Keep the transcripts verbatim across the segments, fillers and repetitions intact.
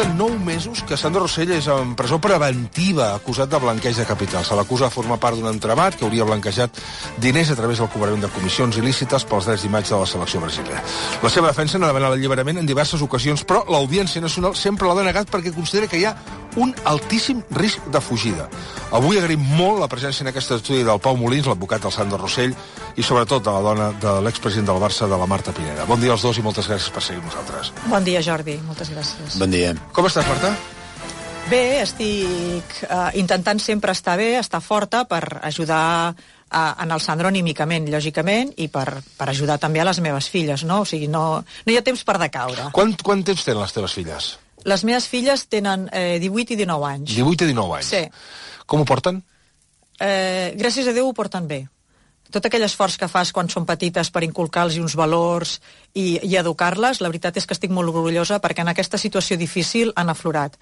de nou mesos que Sandro Rosell és en presó preventiva, acusat de blanqueig de capital. Se l'acusa de formar part d'un entramat que hauria blanquejat diners a través del cobrament de comissions il·lícites pels drets d'imatge de la selecció brasilera. La seva defensa n'ha demanat l'alliberament en diverses ocasions, però l'Audiència Nacional sempre l'ha denegat perquè considera que hi ha un altíssim risc de fugida. Avui agraïm molt la presència en aquest estudi del Pau Molins, l'advocat del Sandro Rosell, i sobretot de la dona de l'expresident del Barça, de la Marta Pineda. Bon dia als dos i moltes gràcies per seguir nosaltres. Bon dia, Jordi. Moltes gràcies. Bon dia. Com estàs, Marta? Bé, estic uh, intentant sempre estar bé, estar forta per ajudar uh, en el Sandro anímicament, lògicament, i per, per ajudar també a les meves filles, no? O sigui, no, no hi ha temps per decaure. Quant, quant temps tenen les teves filles? Les meves filles tenen eh, divuit i dinou anys. divuit i dinou anys? Sí. Com ho porten? Eh, gràcies a Déu ho porten bé. Tot aquell esforç que fas quan són petites per inculcar-los uns valors i, i educar-les, la veritat és que estic molt orgullosa perquè en aquesta situació difícil han aflorat.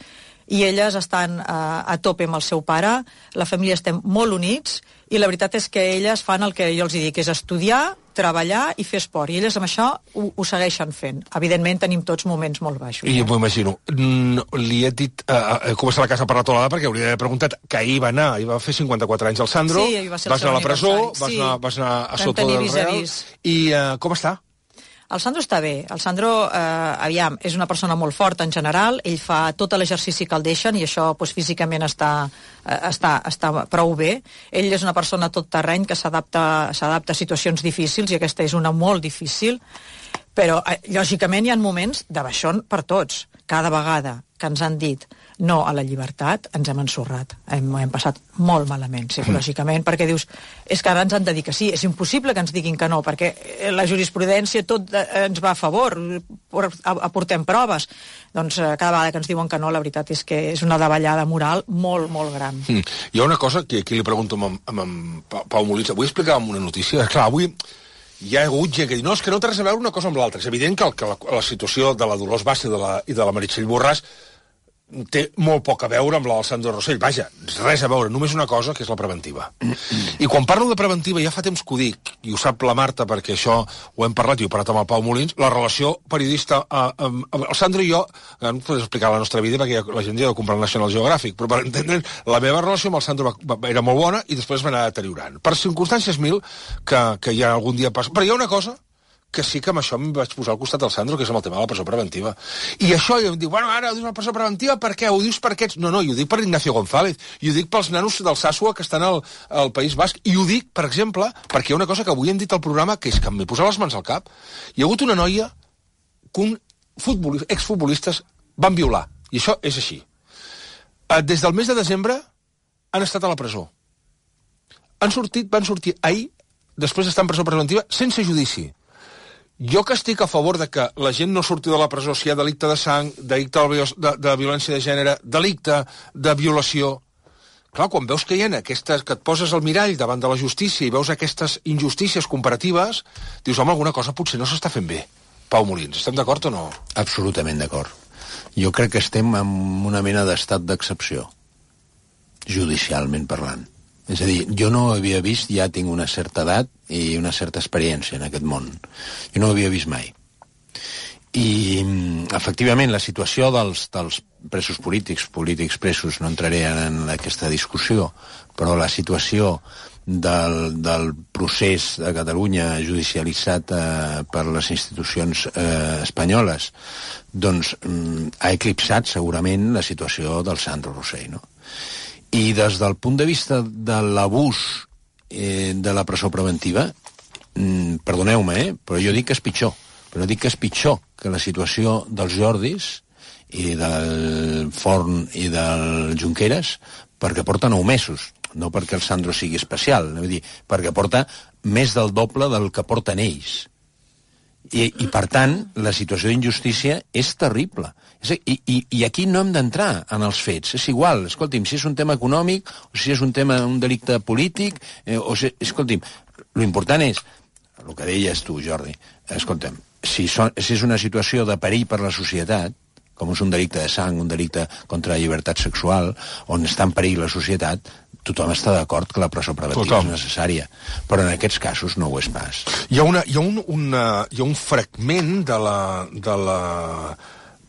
I elles estan uh, a tope amb el seu pare, la família estem molt units, i la veritat és que elles fan el que jo els dic, és estudiar, treballar i fer esport. I elles amb això ho, ho segueixen fent. Evidentment tenim tots moments molt baixos. I m'ho imagino. No, li he dit uh, com està la casa per la tolada, perquè hauria d'haver preguntat que ahir va anar, ahir va fer cinquanta-quatre anys el Sandro, sí, va ser el vas anar a la presó, vas, sí. anar, vas anar a Vam sota del vis a Real, vis. i uh, com està? El Sandro està bé. El Sandro, eh, aviam, és una persona molt forta en general, ell fa tot l'exercici que el deixen i això doncs, físicament està, eh, està, està prou bé. Ell és una persona tot terreny que s'adapta s'adapta a situacions difícils i aquesta és una molt difícil, però eh, lògicament hi ha moments de baixón per tots. Cada vegada que ens han dit no a la llibertat, ens hem ensorrat. Hem, hem passat molt malament, psicològicament, perquè dius, és que ara ens han de dir que sí, és impossible que ens diguin que no, perquè la jurisprudència tot ens va a favor, aportem proves. Doncs cada vegada que ens diuen que no, la veritat és que és una davallada moral molt, molt gran. Mm. Hi ha una cosa que aquí li pregunto amb, amb, amb Pau Molins. Avui explicàvem una notícia. Clar, avui hi ha hagut gent que diu, no, és que no té res a veure una cosa amb l'altra. És evident que, el, que la, la situació de la Dolors Bassa i de la, i de la Meritxell Borràs té molt poc a veure amb la del Sandro Rosell. Vaja, res a veure, només una cosa, que és la preventiva. I quan parlo de preventiva, ja fa temps que ho dic, i ho sap la Marta, perquè això ho hem parlat, i ho he parlat amb el Pau Molins, la relació periodista... Eh, amb, amb el Sandro i jo, no puc explicar la nostra vida, perquè la gent ja ha de comprar el National Geographic, però per entendre, la meva relació amb el Sandro va, va, era molt bona i després va anar deteriorant. Per circumstàncies mil, que, que ja algun dia passa... Però hi ha una cosa que sí que amb això em vaig posar al costat del Sandro, que és amb el tema de la presó preventiva. I això, i em diu, bueno, ara ho dius la presó preventiva, per què? Ho dius per aquests? No, no, i ho dic per Ignacio González, i ho dic pels nanos del Sasua que estan al, al País Basc, i ho dic, per exemple, perquè hi ha una cosa que avui hem dit al programa, que és que m'he posat les mans al cap. Hi ha hagut una noia que un futbolista, exfutbolistes van violar, i això és així. Des del mes de desembre han estat a la presó. Han sortit, van sortir ahir, després d'estar en presó preventiva, sense judici. Jo que estic a favor de que la gent no surti de la presó si hi ha delicte de sang, delicte de, de violència de gènere, delicte de violació. Clar, quan veus que hi ha aquestes, que et poses al mirall davant de la justícia i veus aquestes injustícies comparatives, dius, home, alguna cosa potser no s'està fent bé. Pau Molins, estem d'acord o no? Absolutament d'acord. Jo crec que estem en una mena d'estat d'excepció, judicialment parlant. És a dir, jo no havia vist, ja tinc una certa edat i una certa experiència en aquest món. Jo no ho havia vist mai. I, efectivament, la situació dels, dels presos polítics, polítics presos, no entraré en aquesta discussió, però la situació del, del procés de Catalunya judicialitzat eh, per les institucions eh, espanyoles, doncs mm, ha eclipsat segurament la situació del Sandro Rosell, no? I des del punt de vista de l'abús eh, de la presó preventiva, mm, perdoneu-me, eh, però jo dic que és pitjor. Però dic que és pitjor que la situació dels Jordis i del Forn i del Junqueras, perquè porta nou mesos, no perquè el Sandro sigui especial, vull dir, perquè porta més del doble del que porten ells. I, i per tant, la situació d'injustícia és terrible. I, i, i aquí no hem d'entrar en els fets. És igual, escolti'm, si és un tema econòmic, o si és un tema, un delicte polític, eh, o si, escolti'm, l'important és, el que deies tu, Jordi, escolta'm, si, so, si és una situació de perill per la societat, com és un delicte de sang, un delicte contra la llibertat sexual, on està en perill la societat, tothom està d'acord que la presó preventiva és necessària, però en aquests casos no ho és pas. Hi ha, una, hi ha, un, una, hi ha un fragment de la, de la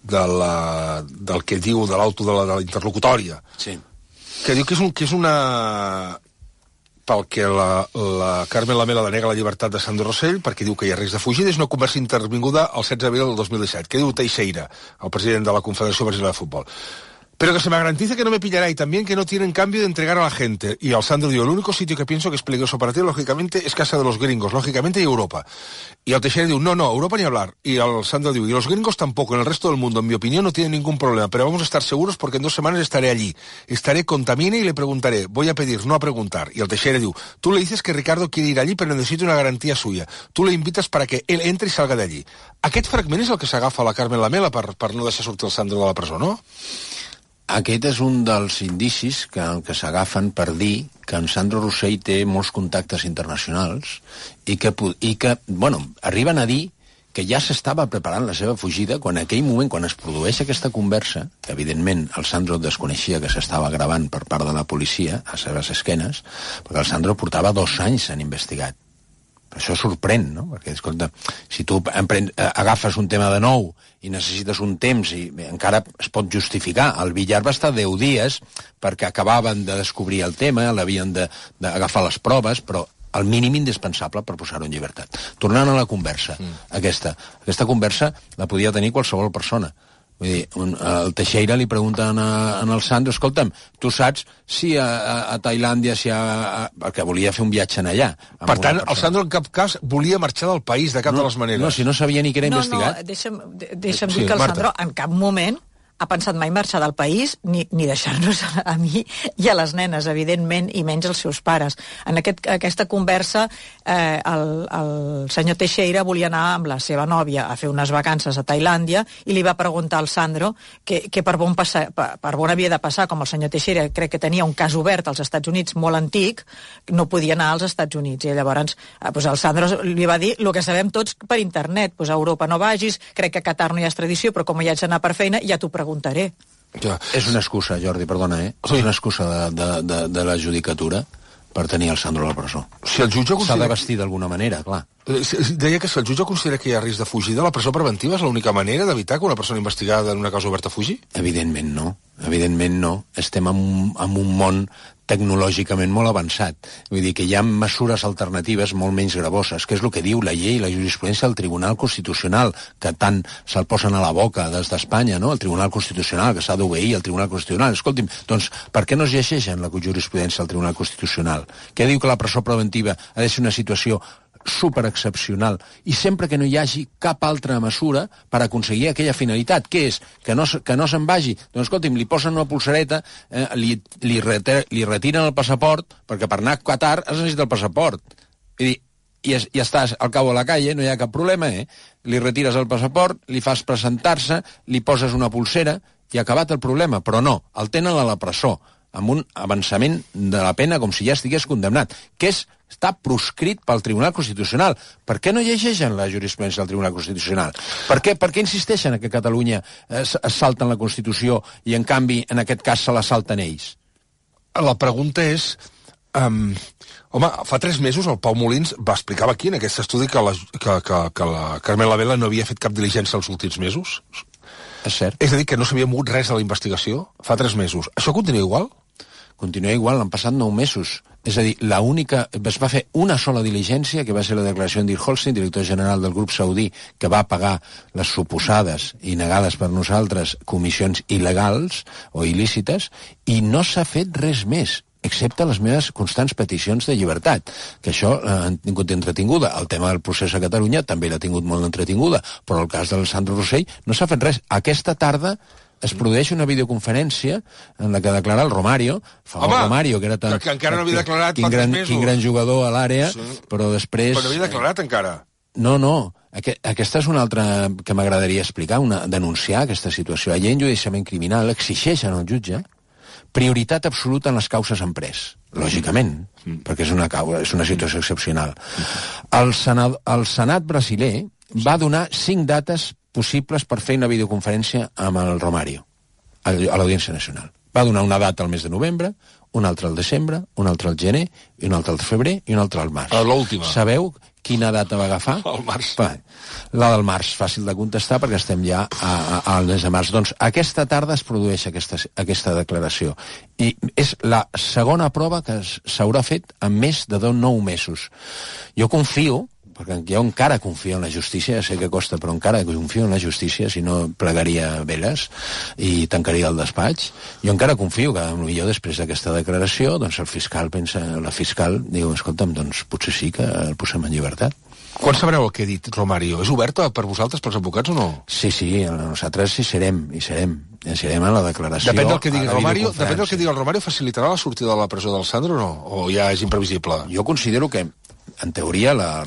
de la, del que diu de l'auto de la, de la interlocutòria, sí. que diu que és, un, que és una... pel que la, la Carmen Lamela denega la llibertat de Sandro Rosell, perquè diu que hi ha risc de fugida, és una conversa intervinguda el setze d'abril del dos mil disset. Què diu Teixeira, el president de la Confederació Brasileña de Fútbol? Pero que se me garantice que no me pillará y también que no tienen cambio de entregar a la gente. Y Alessandro dijo, el único sitio que pienso que es peligroso para ti, lógicamente, es casa de los gringos, lógicamente, y Europa. Y al Teixeira dijo, no, no, Europa ni hablar. Y Alessandro dijo, y los gringos tampoco, en el resto del mundo, en mi opinión, no tienen ningún problema, pero vamos a estar seguros porque en dos semanas estaré allí. Estaré con Tamine y le preguntaré, voy a pedir, no a preguntar. Y al Teixeira dijo, tú le dices que Ricardo quiere ir allí, pero necesito una garantía suya. Tú le invitas para que él entre y salga de allí. Aquest fragment és el que s'agafa la Carmen Lamela per, per no deixar sortir el Sandro de la presó, no? Aquest és un dels indicis que, que s'agafen per dir que en Sandro Rosell té molts contactes internacionals i que, i que bueno, arriben a dir que ja s'estava preparant la seva fugida quan en aquell moment, quan es produeix aquesta conversa, que evidentment el Sandro desconeixia que s'estava gravant per part de la policia a les seves esquenes, perquè el Sandro portava dos anys en investigat. Això sorprèn, no? Perquè, escolta, si tu empren, agafes un tema de nou i necessites un temps i encara es pot justificar. El Villar va estar deu dies perquè acabaven de descobrir el tema, l'havien d'agafar les proves, però el mínim indispensable per posar-ho en llibertat. Tornant a la conversa, mm. aquesta. Aquesta conversa la podia tenir qualsevol persona. Vull dir, un, el Teixeira li pregunta a, a el Sandro, escolta'm, tu saps si a, a, a Tailàndia, si a, a, perquè volia fer un viatge en allà. Per tant, el Sandro en cap cas volia marxar del país de cap no, de les maneres. No, si no sabia ni que era no, investigat. No, deixa'm, deixa'm sí, dir que el Marta. Sandro en cap moment ha pensat mai marxar del país, ni, ni deixar-nos a, a mi i a les nenes, evidentment, i menys els seus pares. En aquest, aquesta conversa, eh, el, el senyor Teixeira volia anar amb la seva nòvia a fer unes vacances a Tailàndia i li va preguntar al Sandro que, que per, bon passar, per, per bon havia de passar, com el senyor Teixeira crec que tenia un cas obert als Estats Units molt antic, no podia anar als Estats Units. I llavors eh, pues el Sandro li va dir el que sabem tots per internet, pues a Europa no vagis, crec que a Qatar no hi ha extradició, però com hi haig d'anar per feina, ja t'ho preguntaré. Ja. És una excusa, Jordi, perdona, eh? Sí. És una excusa de, de, de, de la judicatura per tenir el Sandro a la presó. Si el jutge considera... S'ha de vestir d'alguna manera, clar. Deia que si el jutge considera que hi ha risc de fugida, la presó preventiva és l'única manera d'evitar que una persona investigada en una causa oberta fugi? Evidentment no. Evidentment no. Estem en, en un món tecnològicament molt avançat. Vull dir que hi ha mesures alternatives molt menys gravoses, que és el que diu la llei i la jurisprudència del Tribunal Constitucional, que tant se'l posen a la boca des d'Espanya, no? El Tribunal Constitucional, que s'ha d'obeir el Tribunal Constitucional. Escolti'm, doncs, per què no es llegeixen la jurisprudència del Tribunal Constitucional? Que diu que la presó preventiva ha de ser una situació superexcepcional i sempre que no hi hagi cap altra mesura per aconseguir aquella finalitat, que és que no, que no se'n vagi. Doncs escolti'm, li posen una pulsereta, eh, li, li, reter, li retiren el passaport, perquè per anar a Qatar es necessita el passaport. I, i, es, i estàs al cabo de la calle, no hi ha cap problema, eh? Li retires el passaport, li fas presentar-se, li poses una pulsera i ha acabat el problema. Però no, el tenen a la presó, amb un avançament de la pena com si ja estigués condemnat, que és està proscrit pel Tribunal Constitucional. Per què no llegeixen la jurisprudència del Tribunal Constitucional? Per què, per què insisteixen que a Catalunya es, es salten la Constitució i, en canvi, en aquest cas se la salten ells? La pregunta és... Um, home, fa tres mesos el Pau Molins va explicar aquí, en aquest estudi, que la, que, que, que la Carmen Lamela no havia fet cap diligència els últims mesos. És cert. És a dir, que no s'havia mogut res de la investigació fa tres mesos. Això continua igual? Continua igual, han passat nou mesos. És a dir, la única, es va fer una sola diligència, que va ser la declaració d'Ir Holstein, director general del grup saudí, que va pagar les suposades i negades per nosaltres comissions il·legals o il·lícites, i no s'ha fet res més, excepte les meves constants peticions de llibertat, que això eh, han tingut entretinguda. El tema del procés a Catalunya també l'ha tingut molt entretinguda, però el cas del Sandro Rosell no s'ha fet res. Aquesta tarda es produeix una videoconferència en la que declara el Romario, fa el Romario, que era tan... Que, que encara no havia declarat quin fa gran, tres mesos. Quin gran jugador a l'àrea, sí. Però després... Però no havia declarat encara. No, no. Aquest, aquesta és una altra que m'agradaria explicar, una, denunciar aquesta situació. La llei enjudiciament criminal exigeix al jutge prioritat absoluta en les causes en pres, lògicament, mm. perquè és una, causa, és una situació excepcional. El Senat, el Senat brasiler va donar cinc dates possibles per fer una videoconferència amb el Romario, a l'Audiència Nacional. Va donar una data al mes de novembre, una altra al desembre, una altra al gener, i una altra al febrer i una altra al març. A l'última. Sabeu quina data va agafar? El març. Va, la del març, fàcil de contestar perquè estem ja a, a, al mes de març. Doncs aquesta tarda es produeix aquesta, aquesta declaració. I és la segona prova que s'haurà fet en més de nou mesos. Jo confio, perquè jo encara confio en la justícia, ja sé que costa, però encara confio en la justícia, si no plegaria veles i tancaria el despatx. Jo encara confio que potser després d'aquesta declaració doncs el fiscal pensa, la fiscal diu, escolta'm, doncs potser sí que el posem en llibertat. Quan sabreu el que ha dit Romario? És obert per vosaltres, pels advocats, o no? Sí, sí, nosaltres hi serem, hi serem. Hi serem en la declaració. Depèn del que digui Romario, depèn del que digui el Romario, facilitarà la sortida de la presó del Sandro o no? O ja és imprevisible? Jo considero que en teoria, la,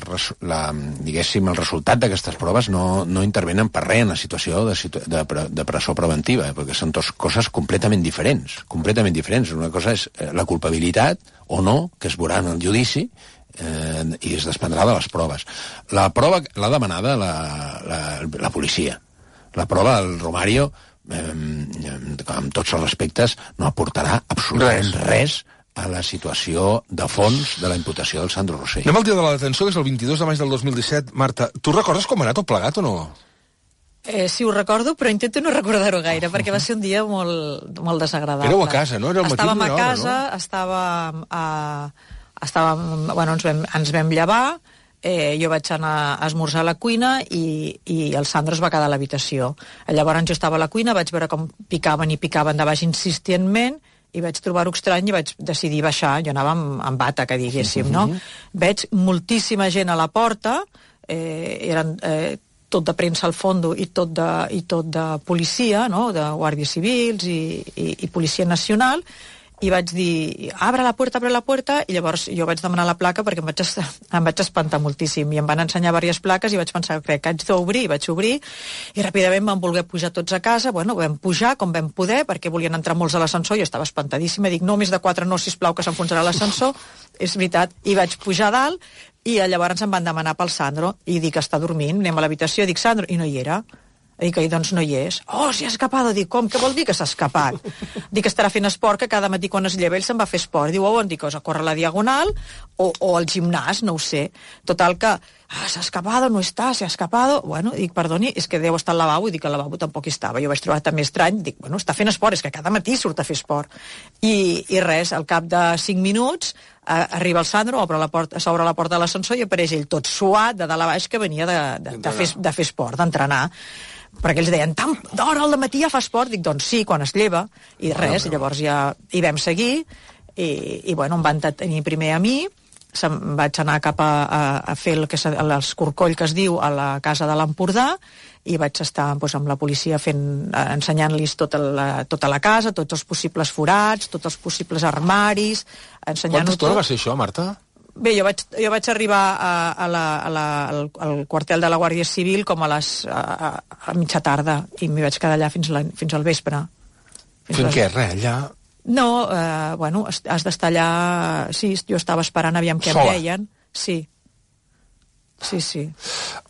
la, diguéssim, el resultat d'aquestes proves no, no intervenen per res en la situació de, de, de presó preventiva, eh, perquè són dues coses completament diferents, completament diferents. Una cosa és la culpabilitat o no, que es veurà en el judici, eh, i es desprendrà de les proves. La prova l'ha demanada la, la, la policia. La prova del Romario, eh, amb tots els respectes, no aportarà absolutament res, res a la situació de fons de la imputació del Sandro Rosell. Anem al dia de la detenció, que és el vint-i-dos de maig del dos mil disset. Marta, tu recordes com ha anat tot plegat o no? Eh, sí, ho recordo, però intento no recordar-ho gaire, perquè va ser un dia molt, molt desagradable. Éreu a casa, no? Era el matí estàvem a hora, casa, no? estàvem a... Estàvem, bueno, ens vam, ens vam llevar, eh, jo vaig anar a esmorzar a la cuina i, i el Sandro es va quedar a l'habitació. Llavors jo estava a la cuina, vaig veure com picaven i picaven de baix insistentment, i vaig trobar-ho estrany i vaig decidir baixar. Jo anava amb, amb bata, que diguéssim, no? Veig moltíssima gent a la porta, eh, eren eh, tot de premsa al fondo i tot de, i tot de policia, no? De guàrdies civils i, i, i policia nacional, i vaig dir, abre la puerta, abre la puerta, i llavors jo vaig demanar la placa perquè em vaig, em vaig espantar moltíssim, i em van ensenyar diverses plaques i vaig pensar, crec que haig d'obrir, i vaig obrir, i ràpidament vam voler pujar tots a casa. Bueno, vam pujar com vam poder, perquè volien entrar molts a l'ascensor, jo estava espantadíssima, dic, no, més de quatre no, sisplau, que s'enfonsarà l'ascensor, és veritat, i vaig pujar a dalt, i llavors em van demanar pel Sandro, i dic, està dormint, anem a l'habitació, dic, Sandro, i no hi era. Dic, i doncs no hi és. Oh, s'hi ha escapat. Dic, com? Què vol dir que s'ha escapat? Dic, estarà fent esport, que cada matí quan es lleva ell se'n va a fer esport. Diu, oh, on dic, a córrer la diagonal o, o al gimnàs, no ho sé. Total que, ah, s'ha escapat, no està, s'ha escapat. Bueno, dic, perdoni, és que deu estar al lavabo, i dic, al lavabo tampoc hi estava. Jo vaig trobar també estrany, dic, bueno, està fent esport, és que cada matí surt a fer esport. I, i res, al cap de cinc minuts, eh, arriba el Sandro, obre la porta, s'obre la porta de l'ascensor i apareix ell tot suat de dalt a baix, que venia de, de, de, fer, de fer esport, d'entrenar. Perquè ells deien, tan d'hora al matí ja fa esport? Dic, doncs sí, quan es lleva, i res, i llavors ja hi vam seguir, i, i bueno, em van tenir primer a mi, se'm vaig anar cap a, a, a fer el que l'escorcoll que es diu a la casa de l'Empordà, i vaig estar doncs, amb la policia fent, ensenyant-los tota la, tota la casa, tots els possibles forats, tots els possibles armaris, ensenyant-ho tot. Quanta estona va ser això, Marta? Bé, jo vaig, jo vaig arribar a, a la, a la, al, al quartel de la Guàrdia Civil com a les a, a mitja tarda, i m'hi vaig quedar allà fins, la, fins al vespre. Fins Fent les... què, res, allà? No, eh, bueno, has d'estar allà... Sí, jo estava esperant, aviam què Sola. em deien. Sí. Sí, sí.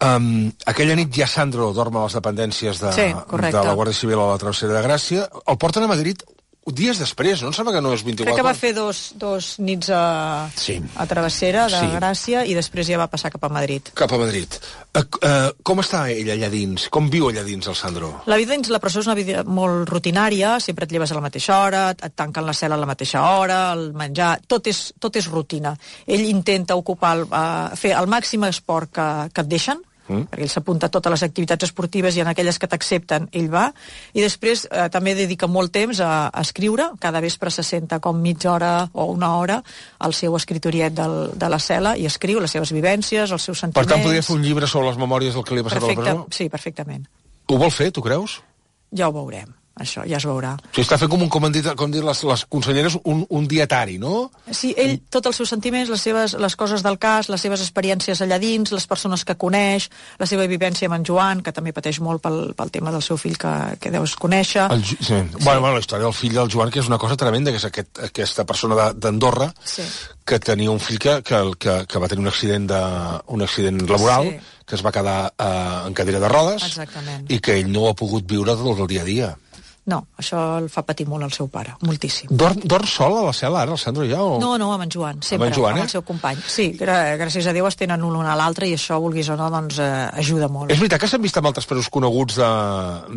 Um, aquella nit ja Sandro dorm a les dependències de, sí, de la Guàrdia Civil a la Travessera de Gràcia. El porten a Madrid dies després, no? Em sembla que no és vint-i-quatre. Crec que va fer dos, dos nits a, sí. a Travessera de sí. Gràcia, i després ja va passar cap a Madrid. Cap a Madrid. Uh, uh, com està ell allà dins? Com viu allà dins el Sandro? La vida dins la presó és una vida molt rutinària, sempre et lleves a la mateixa hora, et tanquen la cel·la a la mateixa hora, el menjar, tot és, tot és rutina. Ell intenta ocupar, el, uh, fer el màxim esport que, que et deixen, Mm. perquè ell s'apunta a totes les activitats esportives, i en aquelles que t'accepten ell va, i després eh, també dedica molt temps a, a escriure. Cada vespre se senta com mitja hora o una hora al seu escritoriet del, de la cel·la i escriu les seves vivències, els seus sentiments. Per tant, podria fer un llibre sobre les memòries del que li ha passat Perfecte, a la presó? Sí, perfectament. Ho vol fer, tu creus? Ja ho veurem. Això ja es veurà. O sigui, està fent com, un, com han dit, com dit les, les conselleres, un, un dietari, no? Sí, ell, tots els seus sentiments, les seves les coses del cas, les seves experiències allà dins, les persones que coneix, la seva vivència amb en Joan, que també pateix molt pel, pel tema del seu fill que, que deus conèixer. El, sí. Sí. Bueno, bueno, la història del fill del Joan, que és una cosa tremenda, que és aquest, aquesta persona d'Andorra, sí. que tenia un fill que, que, que, que va tenir un accident, de, un accident laboral, sí. que es va quedar eh, en cadira de rodes, exactament. I que ell no ha pogut viure del dia a dia. No, això el fa patir molt el seu pare, moltíssim. Dorm, dorm sol a la cel·la, ara, el Sandro, ja? O... No, no, amb en Joan, sempre, amb, en Joan, eh? amb el seu company. Sí, gràcies a Déu es tenen l'un a l'altre i això, vulguis o no, doncs eh, ajuda molt. És veritat que s'han vist amb altres presos coneguts de,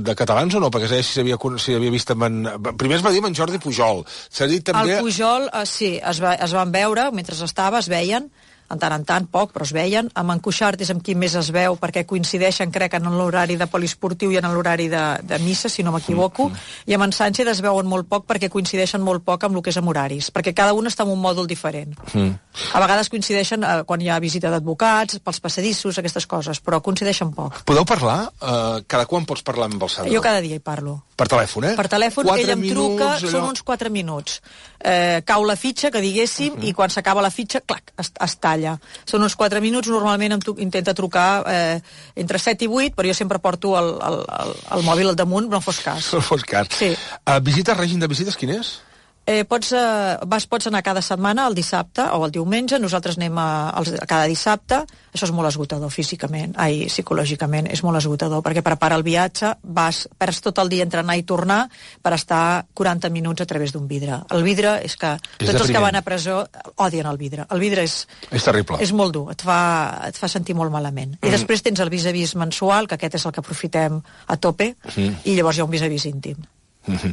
de catalans o no? Perquè si s'havia si havia vist amb en... Primer es va dir amb en Jordi Pujol. S'ha dit també... El Pujol, eh, sí, es, va, es van veure, mentre estava, es veien, en tant en tant, poc, però es veien. Amb en Cuixart és amb qui més es veu, perquè coincideixen, crec, en l'horari de poliesportiu i en l'horari de, de missa, si no m'equivoco, mm. i amb en Sánchez es veuen molt poc perquè coincideixen molt poc amb el que és amb horaris, perquè cada un està en un mòdul diferent. Mm. A vegades coincideixen eh, quan hi ha visita d'advocats, pels passadissos, aquestes coses, però coincideixen poc. Podeu parlar? Uh, cada quan pots parlar amb el Sandro? Jo cada dia hi parlo. Per telèfon, eh? Per telèfon, ell em minuts, truca, allò... són uns quatre minuts. Eh, cau la fitxa, que diguéssim, uh -huh. i quan s'acaba la fitxa, clac, es, es talla. Són uns quatre minuts, normalment em tu, intenta trucar eh, entre set i vuit, però jo sempre porto el, el, el, el mòbil al damunt, no fos cas. No fos cas. Sí. Uh, visita, règim de visites, quin és? Eh, pots, eh, vas, pots anar cada setmana, el dissabte o el diumenge, nosaltres anem a, a, a cada dissabte, això és molt esgotador físicament, ai, psicològicament, és molt esgotador, perquè prepara el viatge, vas, perds tot el dia entre anar i tornar per estar quaranta minuts a través d'un vidre. El vidre és que és tots els que van a presó odien el vidre. El vidre és... És terrible. És molt dur, et fa, et fa sentir molt malament. Mm. I després tens el vis-a-vis mensual, que aquest és el que aprofitem a tope, mm. i llavors hi ha un vis-a-vis íntim. Uh-huh.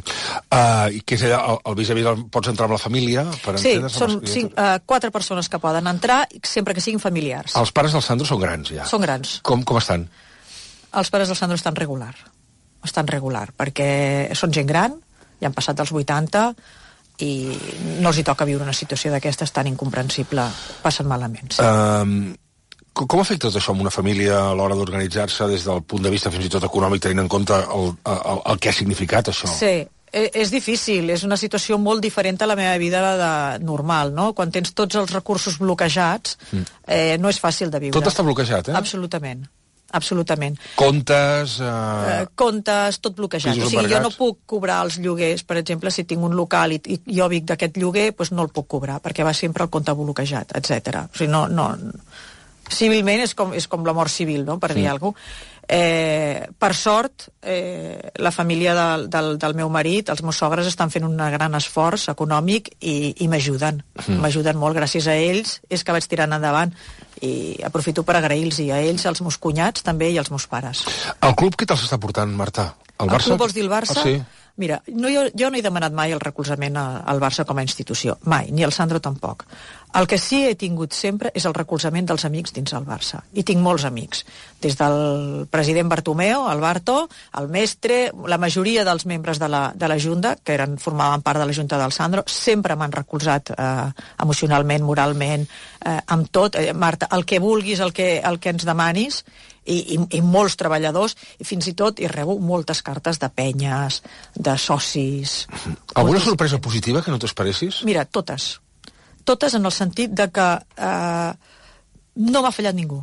Uh, i què és allà, el, el vis-a-vis el pots entrar amb la família? Per sí, són cinc, uh, quatre persones que poden entrar, sempre que siguin familiars. Els pares del Sandro són grans, ja? Són grans. Com, com estan? Els pares del Sandro estan regular. Estan regular, perquè són gent gran, ja han passat dels vuitanta, i no els hi toca viure una situació d'aquestes tan incomprensible. Passen malament, sí. Uh, Com afecta tot això amb una família a l'hora d'organitzar-se des del punt de vista fins i tot econòmic, tenint en compte el, el, el que ha significat això? Sí, és difícil, és una situació molt diferent a la meva vida de normal, no? Quan tens tots els recursos bloquejats, eh, no és fàcil de viure. Tot està bloquejat, eh? Absolutament, absolutament. Comptes... Eh... Eh, comptes, tot bloquejat. O sigui, jo no puc cobrar els lloguers, per exemple, si tinc un local i, i jo vic d'aquest lloguer, doncs no el puc cobrar, perquè va sempre el compte bloquejat, etcètera. O sigui, no... no civilment és com, és com la mort civil, no?, per sí. dir alguna cosa. Eh, per sort, eh, la família del, del, del meu marit, els meus sogres, estan fent un gran esforç econòmic i, i m'ajuden. Mm. M'ajuden molt. Gràcies a ells és que vaig tirant endavant. I aprofito per agrair-los a ells, als meus cunyats també i als meus pares. El club què te'ls està portant, Marta? El, el Barça? club vols dir el Barça? Ah, sí. Mira, no, jo, jo no he demanat mai el recolzament al Barça com a institució, mai, ni al Sandro tampoc. El que sí he tingut sempre és el recolzament dels amics dins el Barça. I tinc molts amics, des del president Bartomeu, el Barto, el Mestre, la majoria dels membres de la, de la Junta, que eren, formaven part de la Junta del Sandro, sempre m'han recolzat eh, emocionalment, moralment, eh, amb tot. Eh, Marta, el que vulguis, el que, el que ens demanis, I, i, i molts treballadors, i fins i tot hi rebo moltes cartes de penyes, de socis... Alguna sorpresa positiva que no t'esperessis? Mira, totes. Totes en el sentit de que eh, no m'ha fallat ningú.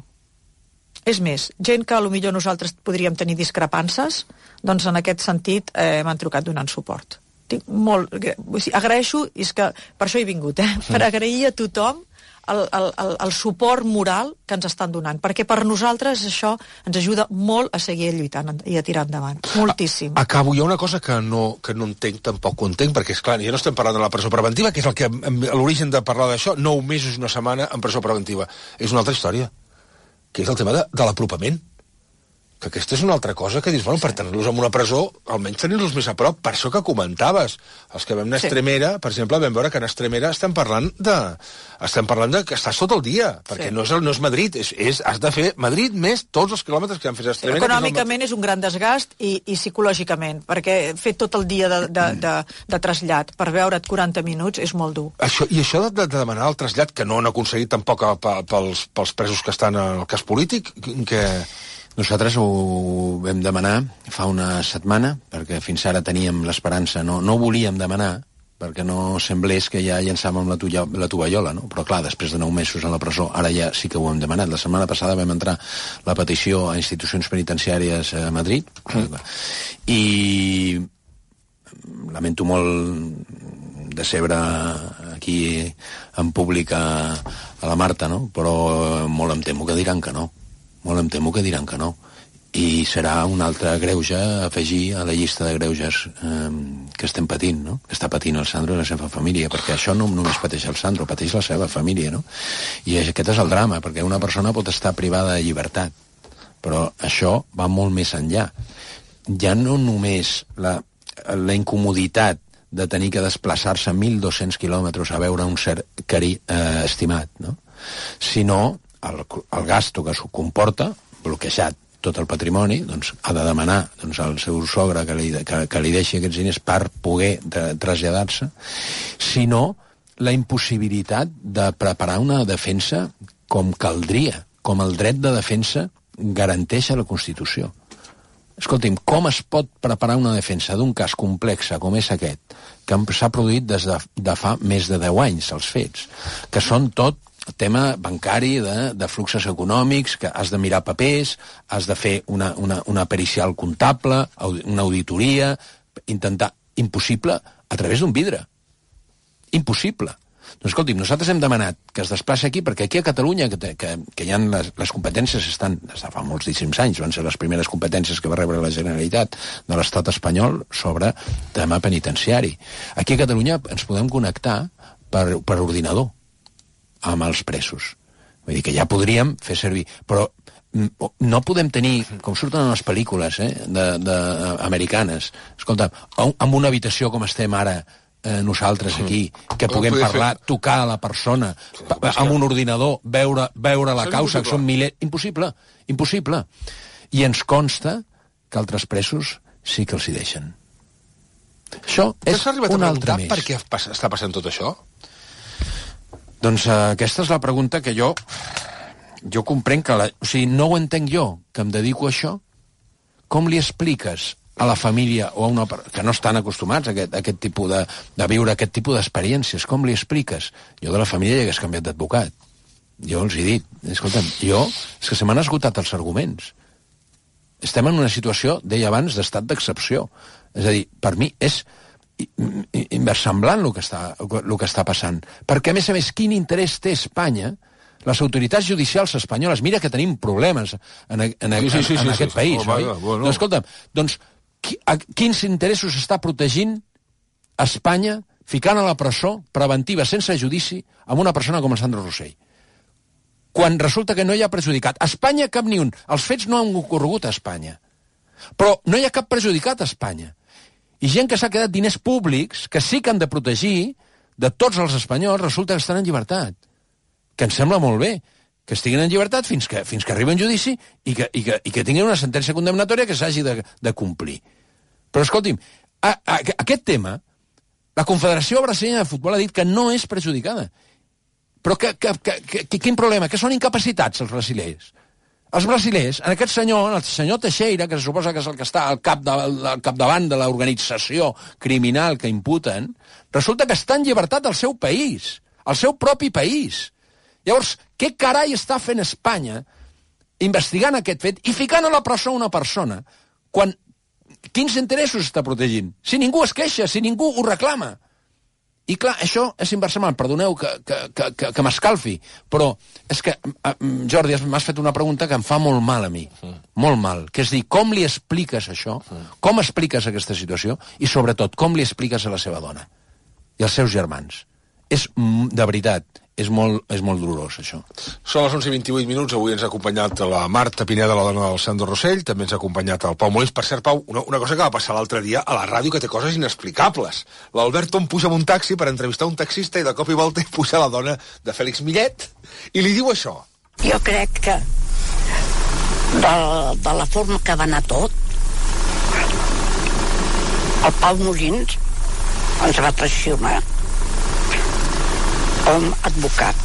És més, gent que potser nosaltres podríem tenir discrepances, doncs en aquest sentit eh, m'han trucat donant suport. Tinc molt... O sigui, agraeixo, i és que per això he vingut, eh? Per agrair a tothom El, el, el, el suport moral que ens estan donant, perquè per nosaltres això ens ajuda molt a seguir lluitant i a tirar endavant, moltíssim. A, acabo, hi ha una cosa que no, que no entenc, tampoc ho entenc, perquè és clar, ja no estem parlant de la presó preventiva, que és el que l'origen de parlar d'això, nou mesos, una setmana en presó preventiva. És una altra història, que és el tema de, de l'apropament. Que aquesta és una altra cosa que dius, bueno, per tenir-los en una presó, almenys tenir-los més a prop, per això que comentaves. Els que vam anar a Extremera, per exemple, vam veure que en Extremera estem parlant de... estem parlant de que estàs tot el dia, perquè sí. no, és el, no és Madrid, és, és, has de fer Madrid més tots els quilòmetres que han fet a Extremera. Econòmicament és, el... és un gran desgast i, i psicològicament, perquè fer tot el dia de, de, de, de trasllat per veure't quaranta minuts és molt dur. Això, I això de, de demanar el trasllat, que no han aconseguit tampoc a, a, pels, pels presos que estan al cas polític, que... Nosaltres ho vam demanar fa una setmana, perquè fins ara teníem l'esperança, no, no ho volíem demanar, perquè no semblés que ja llançàvem la, tuya, la tovallola, no? Però clar, després de nou mesos a la presó, ara ja sí que ho hem demanat. La setmana passada vam entrar la petició a institucions penitenciàries a Madrid, mm. i lamento molt decebre aquí en públic a, a la Marta, no? Però molt em temo que diran que no. Molt em temo que diran que no. i serà un altre greuge a afegir a la llista de greuges eh, que estem patint, no? Que està patint el Sandro i la seva família, perquè això no només pateix el Sandro, pateix la seva família, no? I aquest és el drama, perquè una persona pot estar privada de llibertat, però això va molt més enllà. Ja no només la, la incomoditat de tenir que desplaçar-se mil dos-cents quilòmetres a veure un ser cari, eh, estimat, no? Sinó el, el gasto que s'ho comporta, bloquejat tot el patrimoni, doncs ha de demanar doncs, al seu sogre que li, que, que li deixi aquests diners per poder traslladar-se, sinó la impossibilitat de preparar una defensa com caldria, com el dret de defensa garanteix a la Constitució. Escolti'm, com es pot preparar una defensa d'un cas complex com és aquest, que s'ha produït des de, de fa més de deu anys, els fets, que són tot tema bancari, de, de fluxos econòmics, que has de mirar papers, has de fer una, una, una pericial comptable, una auditoria, intentar... Impossible a través d'un vidre. Impossible. Doncs escolti'm, nosaltres hem demanat que es desplaci aquí, perquè aquí a Catalunya, que, que, que hi ha les, les competències estan, des de fa moltíssims anys, van ser les primeres competències que va rebre la Generalitat de l'Estat espanyol sobre tema penitenciari. Aquí a Catalunya ens podem connectar per, per ordinador amb els presos. Vull dir que ja podríem fer servir, però no podem tenir, com surten en les pel·lícules eh, de, de, americanes, escolta, amb una habitació com estem ara eh, nosaltres aquí, que puguem parlar, tocar a la persona, amb un ordinador, veure, veure la causa, que són milers... Impossible, impossible. I ens consta que altres presos sí que els hi deixen. Això és un altre més. Per què està passant tot això? Doncs uh, aquesta és la pregunta que jo jo comprenc que la, o sigui, no ho entenc jo, que em dedico a això. Com li expliques a la família o a una que no estan acostumats a aquest, a aquest tipus de, de viure aquest tipus d'experiències, com li expliques? Jo de la família ja hagués canviat d'advocat. Jo els he dit, escolta'm, jo, és que se m'han esgotat els arguments. Estem en una situació, deia abans, d'estat d'excepció. És a dir, per mi és inversemblant el que està, el que està passant. Perquè, a més a més, quin interès té Espanya, les autoritats judicials espanyoles, mira que tenim problemes en, en, en, sí, sí, sí, en, en sí, aquest sí, país, oh, oi? Bueno. Doncs, escolta'm, doncs, qui, a, quins interessos està protegint Espanya ficant a la presó preventiva sense judici amb una persona com el Sandro Rosell? Quan resulta que no hi ha perjudicat. A Espanya cap ni un. Els fets no han ocorregut a Espanya. Però no hi ha cap perjudicat a Espanya. I gent que s'ha quedat diners públics, que sí que han de protegir, de tots els espanyols, resulta que estan en llibertat. Que em sembla molt bé, que estiguin en llibertat fins que, fins que arribi un judici i que, i que, i que tinguin una sentència condemnatòria que s'hagi de, de complir. Però escolti'm, a, a, a, aquest tema, la Confederació Brasileña de Futbol ha dit que no és perjudicada. Però que, que, que, que, quin problema? Que són incapacitats els brasilers. Els brasilers, en aquest senyor, el senyor Teixeira, que se suposa que és el que està al, cap de, al capdavant de l'organització criminal que imputen, resulta que està en llibertat al seu país, al seu propi país. Llavors, què carai està fent Espanya investigant aquest fet i ficant a la presó una persona quan quins interessos està protegint? Si ningú es queixa, si ningú ho reclama. I clar, això és inversament, perdoneu que, que, que, que, que m'escalfi, però és que, Jordi, m'has fet una pregunta que em fa molt mal a mi, mm. molt mal, que és dir, com li expliques això, mm. com expliques aquesta situació, i sobretot, com li expliques a la seva dona i als seus germans. És, de veritat, és molt, és molt dolorós, això. Són les onze i vint-i-vuit minuts, avui ens ha acompanyat la Marta Pineda, la dona del Sandro Rosell, també ens ha acompanyat el Pau Molins. Per cert, Pau, una, una cosa que va passar l'altre dia a la ràdio que té coses inexplicables. L'Albert Tom puja amb un taxi per entrevistar un taxista i de cop i volta hi puja la dona de Fèlix Millet i li diu això. Jo crec que de, de la forma que va anar tot, el Pau Molins ens va traicionar com advocat,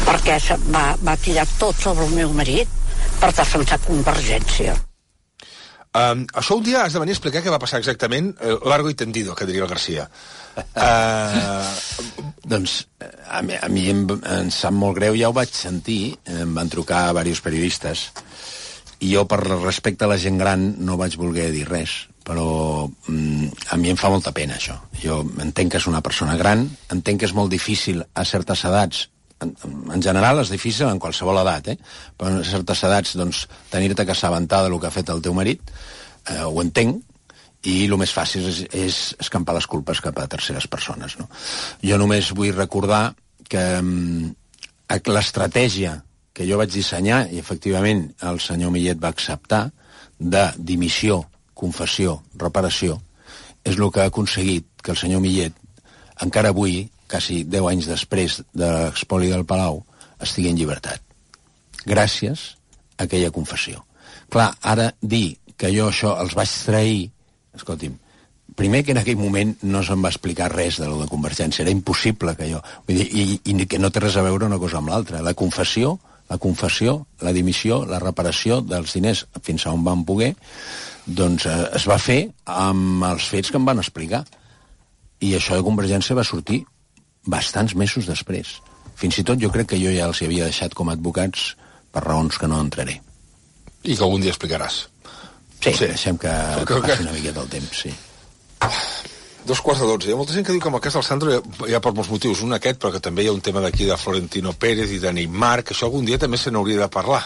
perquè va, va tirar tot sobre el meu marit per defensar Convergència. Um, això un dia has de venir a explicar què va passar exactament, eh, largo i tendido, que diria el Garcia. Uh... doncs a mi, a mi em, em sap molt greu, ja ho vaig sentir, em van trucar diversos periodistes, i jo per respecte a la gent gran no vaig voler dir res, però mm, a mi em fa molta pena això. Jo entenc que és una persona gran, entenc que és molt difícil a certes edats en, en general és difícil en qualsevol edat, eh? Però en certes edats, doncs, tenir-te que assabentar del que ha fet el teu marit, eh, ho entenc, i el més fàcil és, és escampar les culpes cap a terceres persones, no? Jo només vull recordar que um, l'estratègia que jo vaig dissenyar, i efectivament el senyor Millet va acceptar, de dimissió, confessió, reparació, és el que ha aconseguit que el senyor Millet, encara avui, quasi deu anys després de l'expoli del Palau, estigui en llibertat. Gràcies a aquella confessió. Clar, ara dir que jo això els vaig trair, escolti'm, primer que en aquell moment no se'm va explicar res de lo de Convergència, era impossible que jo... Vull dir, i, i que no té res a veure una cosa amb l'altra. La confessió, la confessió, la dimissió, la reparació dels diners fins a on van poder, doncs eh, es va fer amb els fets que em van explicar. I això de Convergència va sortir bastants mesos després. Fins i tot jo crec que jo ja els havia deixat com a advocats per raons que no entraré. I que algun dia explicaràs. Sí, sí, deixem que, que passi una miqueta el temps, sí. Dos quarts de dotze. Hi ha molta gent que diu que amb el cas del Sandro hi ha, hi ha per molts motius. Un aquest, però que també hi ha un tema d'aquí de Florentino Pérez i de Neymar, que això algun dia també se n'hauria de parlar.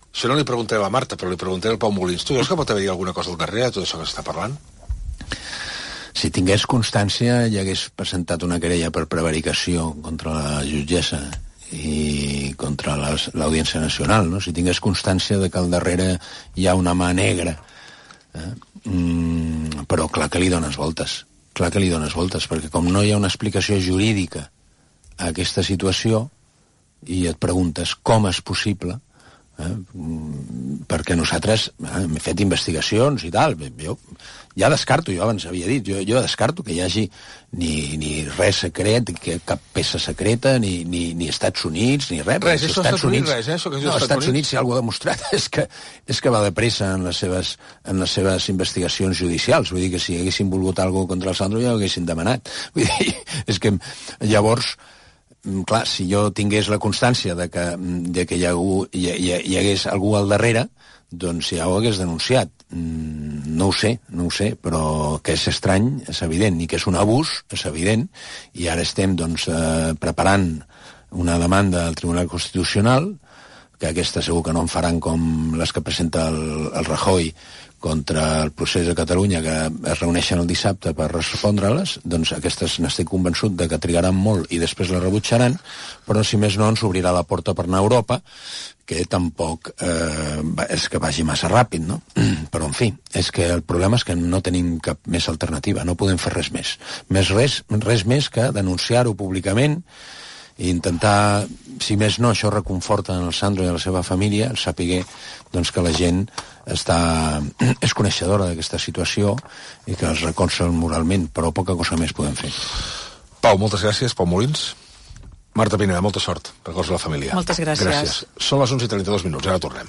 Això no li preguntaré a la Marta, però li preguntaré al Pau Molins. Tu veus que pot haver-hi alguna cosa al darrere de tot això que s'està parlant? Si tingués constància, ja hagués presentat una querella per prevaricació contra la jutgessa i contra l'Audiència Nacional, no? Si tingués constància de que al darrere hi ha una mà negra, eh? mm, però clar que li dones voltes, clar que li dones voltes, perquè com no hi ha una explicació jurídica a aquesta situació i et preguntes com és possible, eh? mm, perquè nosaltres eh, hem fet investigacions i tal, jo ja descarto, jo abans havia dit, jo, jo descarto que hi hagi ni, ni res secret, que cap peça secreta, ni, ni, ni Estats Units, ni res. Res, això Estats Units, res, eh? Això que no, Estats, Estats Units, si algú ha demostrat, és que, és que va de pressa en les, seves, en les seves investigacions judicials. Vull dir que si haguessin volgut alguna cosa contra el Sandro ja ho haguessin demanat. Vull dir, és que llavors, clar, si jo tingués la constància de que, de que hi, ha algú, hi, hi, hi hagués algú al darrere, doncs ja ho hagués denunciat. No ho sé, no ho sé, però que és estrany, és evident, i que és un abús, és evident, i ara estem doncs, eh, preparant una demanda al Tribunal Constitucional, que aquesta segur que no en faran com les que presenta el, el Rajoy contra el procés de Catalunya, que es reuneixen el dissabte per respondre-les, doncs aquestes n'estic convençut de que trigaran molt i després les rebutjaran, però si més no ens obrirà la porta per anar a Europa, que tampoc eh, és que vagi massa ràpid, no? Però, en fi, és que el problema és que no tenim cap més alternativa, no podem fer res més. Més res, res més que denunciar-ho públicament i intentar, si més no, això reconforta en el Sandro i a la seva família, el sapiguer doncs, que la gent està, és coneixedora d'aquesta situació i que els recolza moralment, però poca cosa més podem fer. Pau, moltes gràcies. Pau Molins. Marta Pineda, molta sort. Records a la família. Moltes gràcies. Gràcies. Són les onze i trenta-dos minuts, ara tornem.